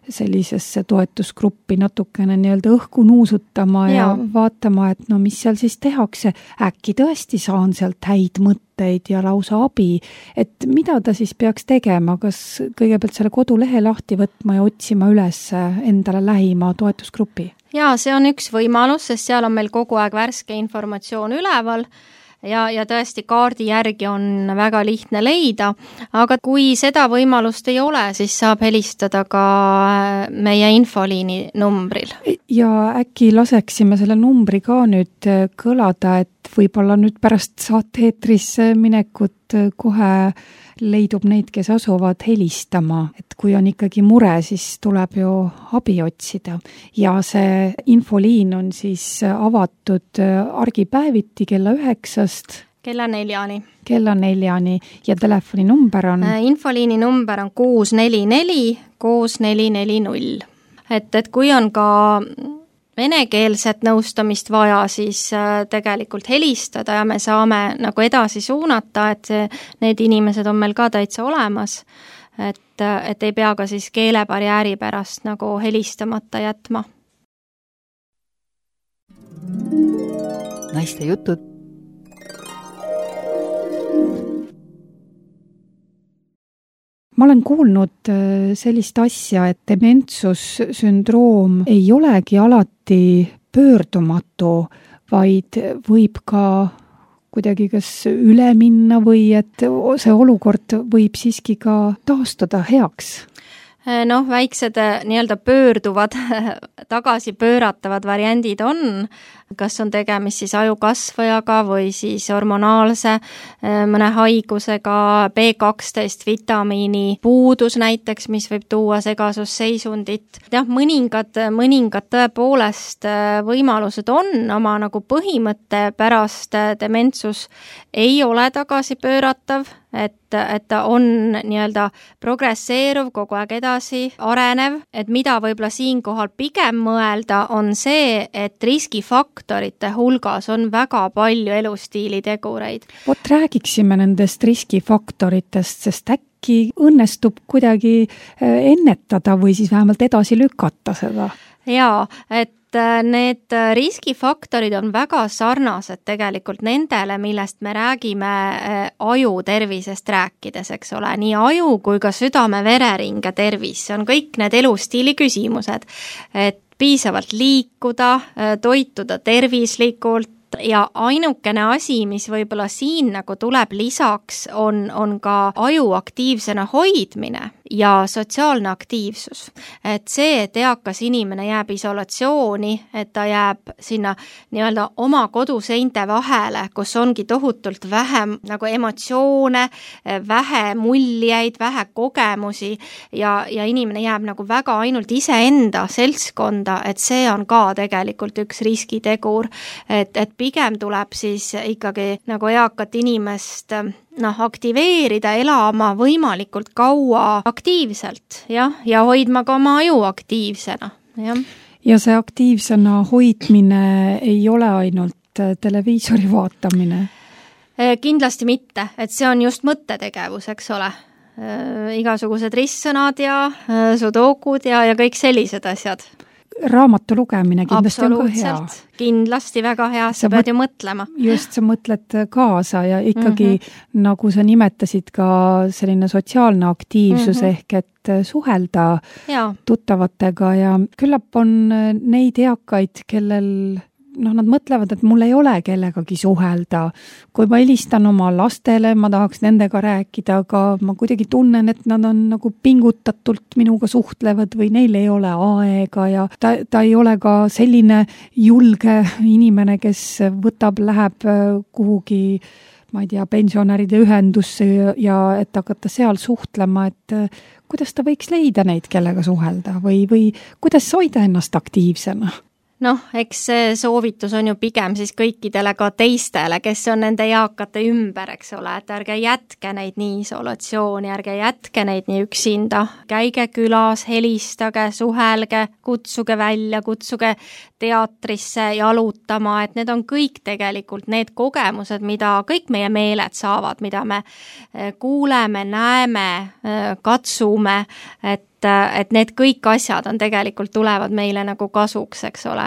B: sellisesse toetusgruppi natukene nii-öelda õhku nuusutama ja vaatama, et no mis seal siis tehakse. Äkki tõesti saan sealt häid mõtteid ja lausa abi. Et mida ta siis peaks tegema? Kas kõigepealt selle kodulehe lahti võtma ja otsima üles endale lähima toetusgrupi?
C: Jaa, see on üks võimalus, sest seal on meil kogu aeg värske informatsioon üleval. Ja tõesti kaardi järgi on väga lihtne leida, aga kui seda võimalust ei ole, siis saab helistada ka meie infoliini numbril.
B: Ja äkki laseksime selle numbri ka nüüd kõlada, et võib-olla nüüd pärast saate-eetris minekut kohe leidub neid, kes asuvad helistama, et kui on ikkagi mure, siis tuleb ju abi otsida. Ja see infoliin on siis avatud argipäeviti kella 9-st
C: kella 4-ni.
B: Kella 4-ni ja telefoni number on?
C: Infoliini number on 644 6440. Et kui on ka venekeelset nõustamist vaja, siis tegelikult helistada ja me saame nagu edasi suunata, et need inimesed on meil ka täitsa olemas, et ei pea ka siis keelebarjääri pärast nagu helistamata jätma.
D: Naiste jutud.
B: Ma olen kuulnud sellist asja, et dementsussündroom ei olegi alati pöördumatu, vaid võib ka kuidagi kas üle minna või et see olukord võib siiski ka taastuda heaks.
C: Väiksed nii-öelda pöörduvad, tagasi pööratavad variandid on, kas on tegemist siis ajukasvajaga või siis hormonaalse mõne haigusega, B12 vitamiini puudus näiteks, mis võib tuua segasusseisundit. Jah, mõningad tõepoolest võimalused on, oma nagu põhimõtte pärast dementsus ei ole tagasi pööratav, et ta on nii-öelda progresseeruv, kogu aeg edasi arenev, et mida võib-olla siinkohal pigem mõelda on see, et riskifaktorite hulgas on väga palju elustiilitegureid.
B: Vot räägiksime nendest riskifaktoritest, sest äkki õnnestub kuidagi ennetada või siis vähemalt edasi lükata seda?
C: Jaa, et need riskifaktorid on väga sarnased tegelikult nendele, millest me räägime aju tervisest rääkides, eks ole, nii aju kui ka südame-vereringe tervis, see on kõik need elustiili küsimused, et piisavalt liikuda, toituda tervislikult ja ainukene asi, mis võib-olla siin nagu tuleb lisaks, on ka aju aktiivsena hoidmine ja sotsiaalne aktiivsus. Et see, et eakas inimene jääb isolatsiooni, et ta jääb sinna nii-öelda oma koduseinte vahele, kus ongi tohutult vähe nagu emotsioone, vähe muljeid, vähe kogemusi ja inimene jääb nagu väga ainult iseenda seltskonda, et see on ka tegelikult üks riskitegur, et pigem tuleb siis ikkagi nagu eakat inimest aktiveerida, elama võimalikult kaua aktiivselt ja hoidma ka oma aju aktiivsena.
B: Ja see aktiivsena hoidmine ei ole ainult televiisori vaatamine?
C: Kindlasti mitte, et see on just mõttetegevus, eks ole. Igasugused ristsõnad ja sudokud ja kõik sellised asjad.
B: Raamatu lugemine kindlasti on ka hea.
C: Kindlasti väga hea, sa pead ju mõtlema.
B: Just, sa mõtled kaasa ja ikkagi, nagu sa nimetasid, ka selline sotsiaalne aktiivsus ehk et suhelda tuttavatega ja küllap on neid eakaid, kellel nad mõtlevad, et mul ei ole kellegagi suhelda. Kui ma helistan oma lastele, ma tahaks nendega rääkida, aga ma kuidagi tunnen, et nad on nagu pingutatult minuga suhtlevad või neil ei ole aega ja ta ei ole ka selline julge inimene, kes läheb kuhugi, ma ei tea, pensionäride ühendusse ja et hakata seal suhtlema, et kuidas ta võiks leida neid, kellega suhelda või kuidas hoida ennast aktiivsena?
C: Eks see soovitus on ju pigem siis kõikidele ka teistele, kes on nende eakate ümber, eks ole, et ärge jätke neid nii isolatsiooni, ärge jätke neid nii üksinda, käige külas, helistage, suhelge, kutsuge välja, kutsuge teatrisse jalutama, et need on kõik tegelikult need kogemused, mida kõik meie meeled saavad, mida me kuuleme, näeme, katsume, et need kõik asjad on tegelikult tulevad meile nagu kasuks, eks ole.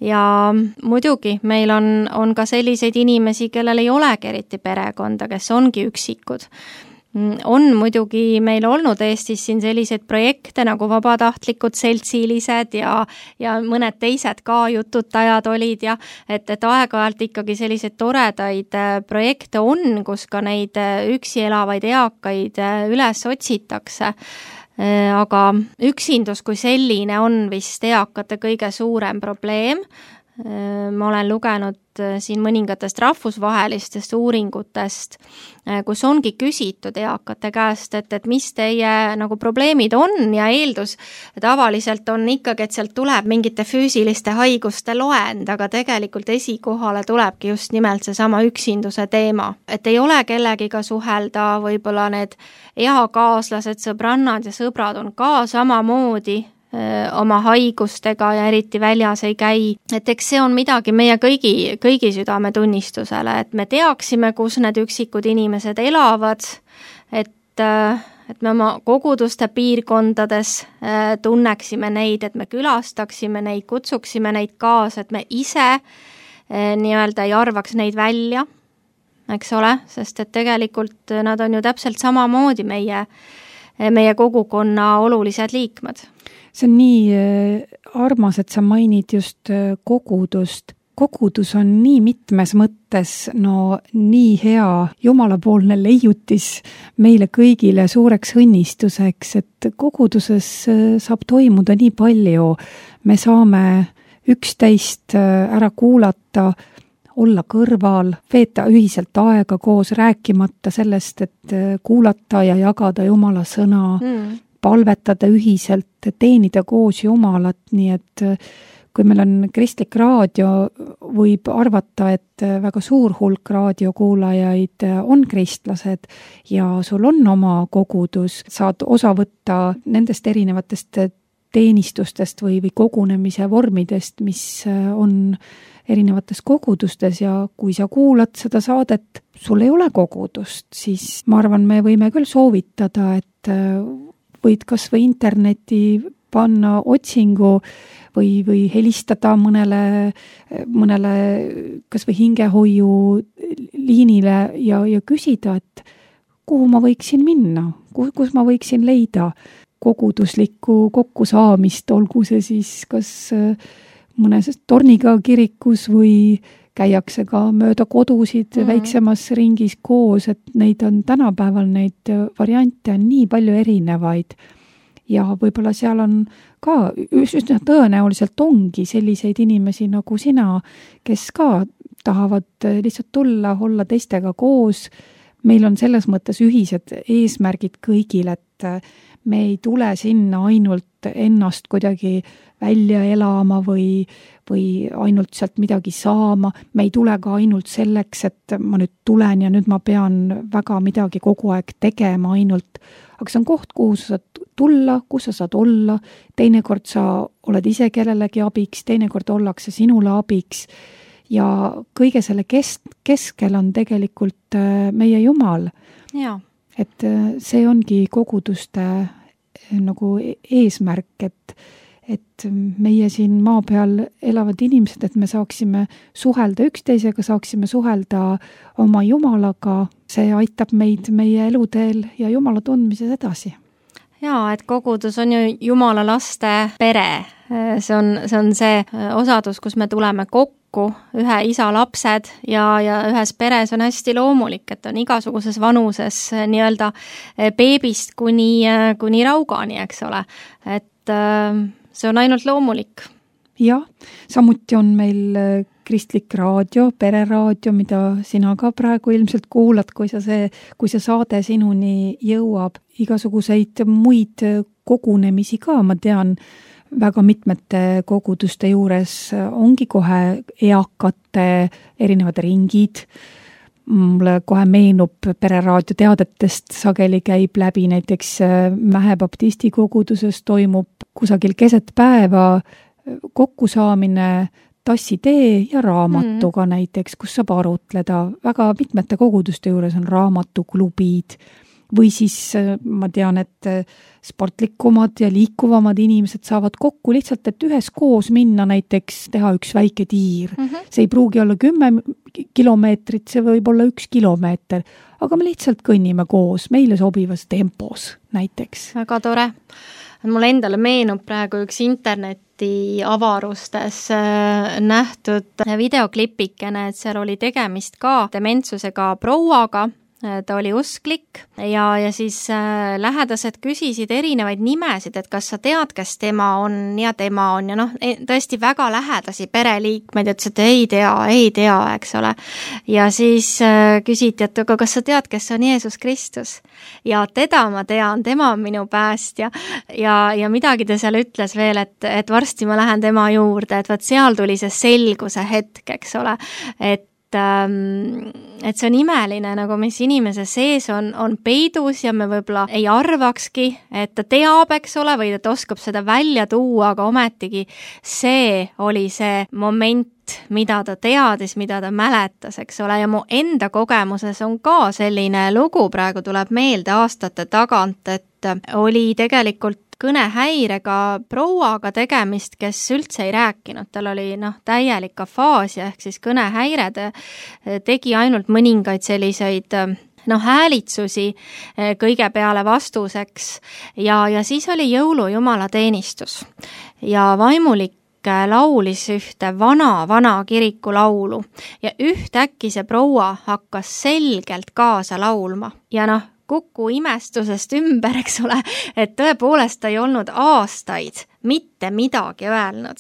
C: Ja muidugi meil on ka selliseid inimesi, kellel ei olegi eriti perekonda, kes ongi üksikud. On muidugi meil olnud Eestis siin selliseid projekte nagu vabatahtlikud seltsilised ja mõned teised ka jututajad olid ja et aeg-ajalt ikkagi selliseid toredaid projekte on, kus ka neid üksi elavaid eakaid üles otsitakse. Aga üksindus kui selline on vist eakate kõige suurem probleem. Ma olen lugenud siin mõningatest rahvusvahelistest uuringutest, kus ongi küsitud eakate käest, et mis teie nagu probleemid on ja eeldus tavaliselt on ikkagi, et sealt tuleb mingite füüsiliste haiguste loend, aga tegelikult esikohale tulebki just nimelt seesama üksinduse teema. Et ei ole kellegiga suhelda, võib-olla need eakaaslased, sõbrannad ja sõbrad on ka samamoodi oma haigustega ja eriti väljas ei käi. Et eks see on midagi meie kõigi südametunnistusele, et me teaksime, kus need üksikud inimesed elavad, et me oma koguduste piirkondades tunneksime neid, et me külastaksime neid, kutsuksime neid kaasa, et me ise nii-öelda ei arvaks neid välja, eks ole, sest et tegelikult nad on ju täpselt samamoodi meie kogukonna olulised liikmed.
B: See on nii armas, et sa mainid just kogudust. Kogudus on nii mitmes mõttes nii hea jumalapoolne leiutis meile kõigile suureks õnnistuseks, et koguduses saab toimuda nii palju. Me saame üksteist ära kuulata, olla kõrval, veeta ühiselt aega koos, rääkimata sellest, et kuulata ja jagada Jumala sõna, palvetada ühiselt, teenida koos Jumalat, nii et kui meil on kristlik raadio, võib arvata, et väga suur hulk raadiokuulajaid on kristlased ja sul on oma kogudus, saad osa võtta nendest erinevatest teenistustest või kogunemise vormidest, mis on erinevates kogudustes ja kui sa kuulad seda saadet, sul ei ole kogudust, siis ma arvan, me võime küll soovitada, et võid kas või interneti panna otsingu või helistada mõnele kas või hingehoiu liinile ja küsida, et kuhu ma võiksin minna, kus ma võiksin leida koguduslikku kokkusaamist, olgu see siis kas mõnes torniga kirikus või käiakse ka mööda kodusid väiksemas ringis koos, et neid on tänapäeval, neid variante on nii palju erinevaid. Ja võib-olla seal on ka, üsna tõenäoliselt ongi selliseid inimesi nagu sina, kes ka tahavad lihtsalt tulla, olla teistega koos. Meil on selles mõttes ühised eesmärgid kõigil, et me ei tule sinna ainult ennast kuidagi välja elama või ainult sealt midagi saama. Me ei tule ka ainult selleks, et ma nüüd tulen ja nüüd ma pean väga midagi kogu aeg tegema ainult. Aga see on koht, kuhu sa saad tulla, kus sa saad olla. Teinekord sa oled ise kellelegi abiks, teinekord ollakse sinule abiks. Ja kõige selle keskel on tegelikult meie Jumal.
C: Ja.
B: Et see ongi koguduste nagu eesmärk, et meie siin maa peal elavad inimesed, et me saaksime suhelda üksteisega, saaksime suhelda oma Jumalaga, see aitab meid meie eluteel ja Jumala tundmises edasi.
C: Jaa, et kogudus on ju Jumala laste pere. See on see osadus, kus me tuleme kokku, ühe isa lapsed ja ühes peres on hästi loomulik, et on igasuguses vanuses nii-öelda beebist kuni raugani, eks ole. Et see on ainult loomulik.
B: Jah, samuti on meil kristlik raadio, pereraadio, mida sina ka praegu ilmselt kuulad, kui see saade sinuni jõuab. Igasuguseid muid kogunemisi ka, ma tean, väga mitmete koguduste juures ongi kohe eakate erinevad ringid. Mulle kohe meenub Pereraadio teadetest, sageli käib läbi näiteks Mähe baptisti koguduses toimub kusagil keset päeva kokkusaamine tassitee ja raamatuga näiteks, kus saab arutleda. Väga mitmete koguduste juures on raamatuklubid või siis ma tean, et sportlikumad ja liikuvamad inimesed saavad kokku lihtsalt, et üheskoos minna näiteks teha üks väike tiir. See ei pruugi olla 10 kilomeetrit, see võib olla 1 kilomeeter, aga me lihtsalt kõnnime koos, meile sobivas tempos näiteks.
C: Väga tore. Mulle endale meenub praegu üks interneti avarustes nähtud videoklipikene, et seal oli tegemist ka dementsusega prouaga. Ta oli usklik ja siis lähedased küsisid erinevaid nimesid, et kas sa tead, kes tema on ja tõesti väga lähedasi pereliikmeid, ütles, et ei tea, eks ole. Ja siis küsiti, et aga kas sa tead, kes on Jeesus Kristus? Ja teda ma tean, tema on minu päästja ja midagi ta seal ütles veel, et varsti ma lähen tema juurde, et vaat seal tuli see selguse hetk, eks ole, et see on imeline, nagu mis inimese sees on peidus ja me võib-olla ei arvakski, et ta teab, eks ole, või ta oskab seda välja tuua, aga ometigi see oli see moment, mida ta teadis, mida ta mäletas, eks ole, ja mu enda kogemuses on ka selline lugu, praegu tuleb meelde aastate tagant, et oli tegelikult kõnehäirega prouaga tegemist, kes üldse ei rääkinud. Tal oli täielik afaasia ehk siis kõnehäire, tegi ainult mõningaid selliseid häälitsusi kõige peale vastuseks ja siis oli jõulujumala teenistus ja vaimulik laulis ühte vana kirikulaulu ja ühtäkki see proua hakkas selgelt kaasa laulma ja Kuku imestusest ümber, eks ole, et tõepoolest ta ei olnud aastaid mitte midagi öelnud.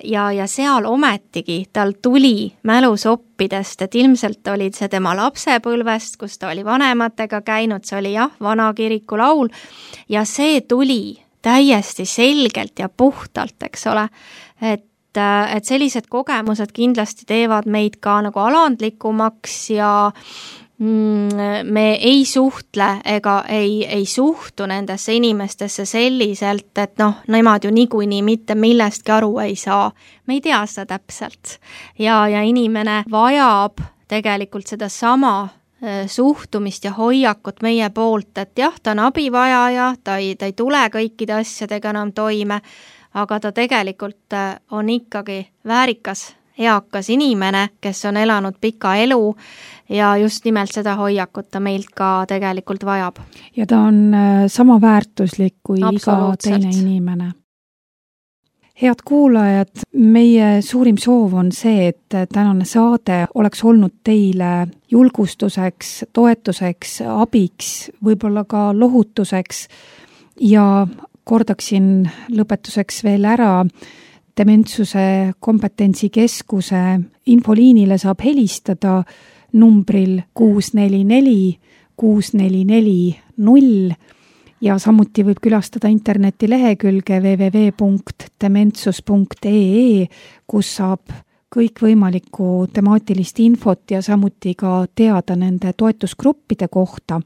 C: Ja seal ometigi tal tuli mälusoppidest, et ilmselt olid see tema lapsepõlvest, kus ta oli vanematega käinud, see oli vana kirikulaul ja see tuli täiesti selgelt ja puhtalt, eks ole, et sellised kogemused kindlasti teevad meid ka nagu alandlikumaks ja me ei suhtle ega ei suhtu nendesse inimestesse selliselt, et nemad ju niikuinii mitte millestki aru ei saa. Me ei tea seda täpselt. Ja inimene vajab tegelikult seda sama suhtumist ja hoiakut meie poolt, et ta on abivajaja, ta ei tule kõikide asjadega enam toime, aga ta tegelikult on ikkagi väärikas eakas inimene, kes on elanud pika elu ja just nimelt seda hoiakut ta meilt ka tegelikult vajab.
B: Ja ta on sama väärtuslik kui iga teine inimene. Head kuulajad, meie suurim soov on see, et tänane saade oleks olnud teile julgustuseks, toetuseks, abiks, võib-olla ka lohutuseks ja kordaksin lõpetuseks veel ära, Dementsuse kompetentsikeskuse infoliinile saab helistada numbril 644 644 ja samuti võib külastada internetilehekülge www.dementsus.ee, kus saab kõikvõimalikku temaatilist infot ja samuti ka teada nende toetusgruppide kohta.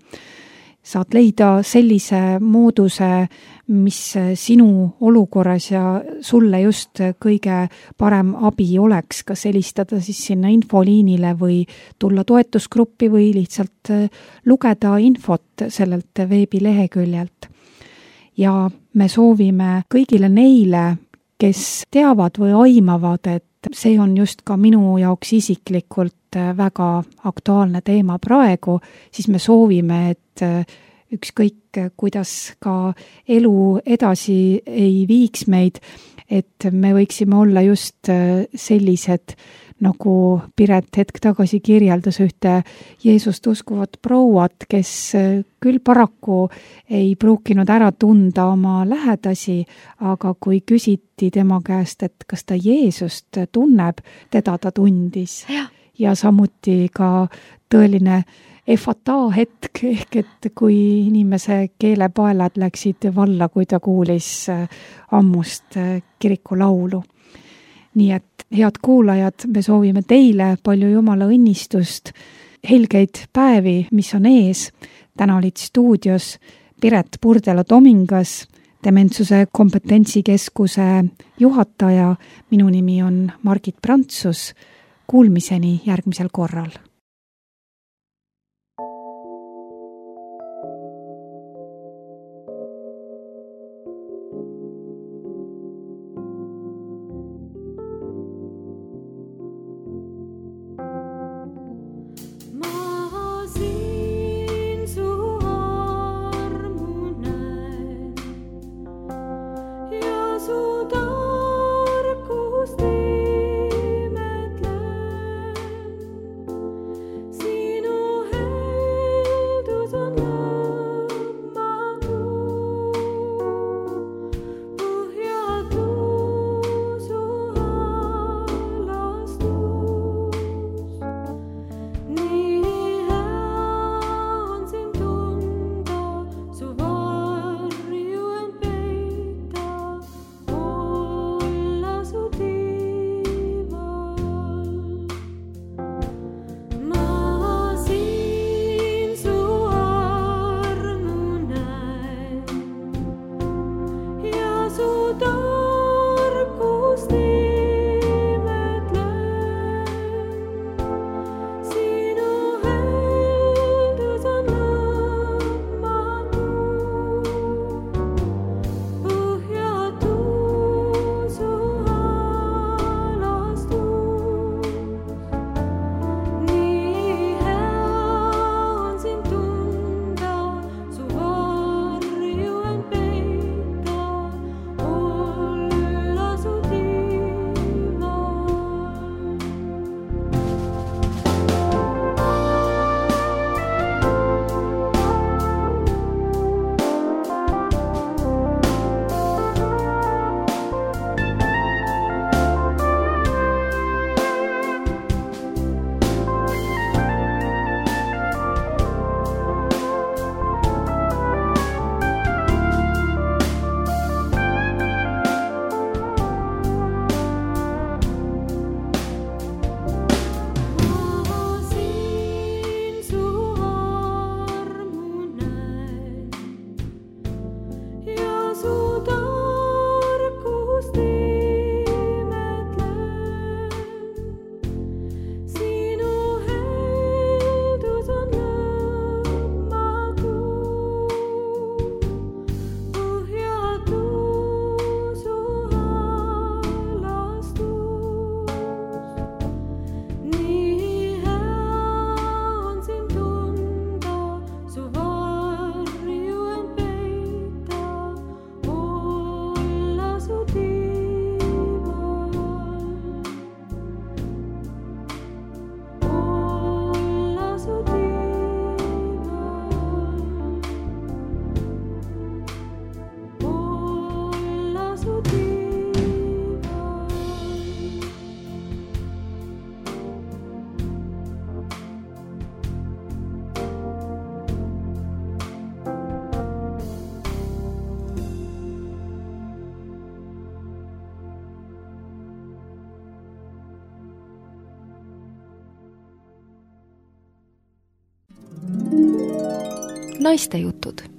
B: Saad leida sellise mooduse, mis sinu olukorras ja sulle just kõige parem abi oleks, kas helistada siis sinna infoliinile või tulla toetusgruppi või lihtsalt lugeda infot sellelt veebileheküljelt. Ja me soovime kõigile neile, kes teavad või aimavad, et see on just ka minu jaoks isiklikult väga aktuaalne teema praegu, siis me soovime, et ükskõik, kuidas ka elu edasi ei viiks meid, et me võiksime olla just sellised, nagu Piret hetk tagasi kirjeldas ühte Jeesust uskuvat prouat, kes küll paraku ei pruukinud ära tunda oma lähedasi, aga kui küsiti tema käest, et kas ta Jeesust tunneb, teda ta tundis. Ja samuti ka tõeline efataa hetk, ehk et kui inimese keelepaelad läksid valla, kui ta kuulis ammust kirikulaulu. Nii et head kuulajad, me soovime teile palju Jumala õnnistust, helgeid päevi, mis on ees. Täna olid stuudios Piret Purdelo-Tomingas, Dementsuse kompetentsikeskuse juhataja. Minu nimi on Margit Prantsus. Kuulmiseni järgmisel korral.
D: Naistejutud.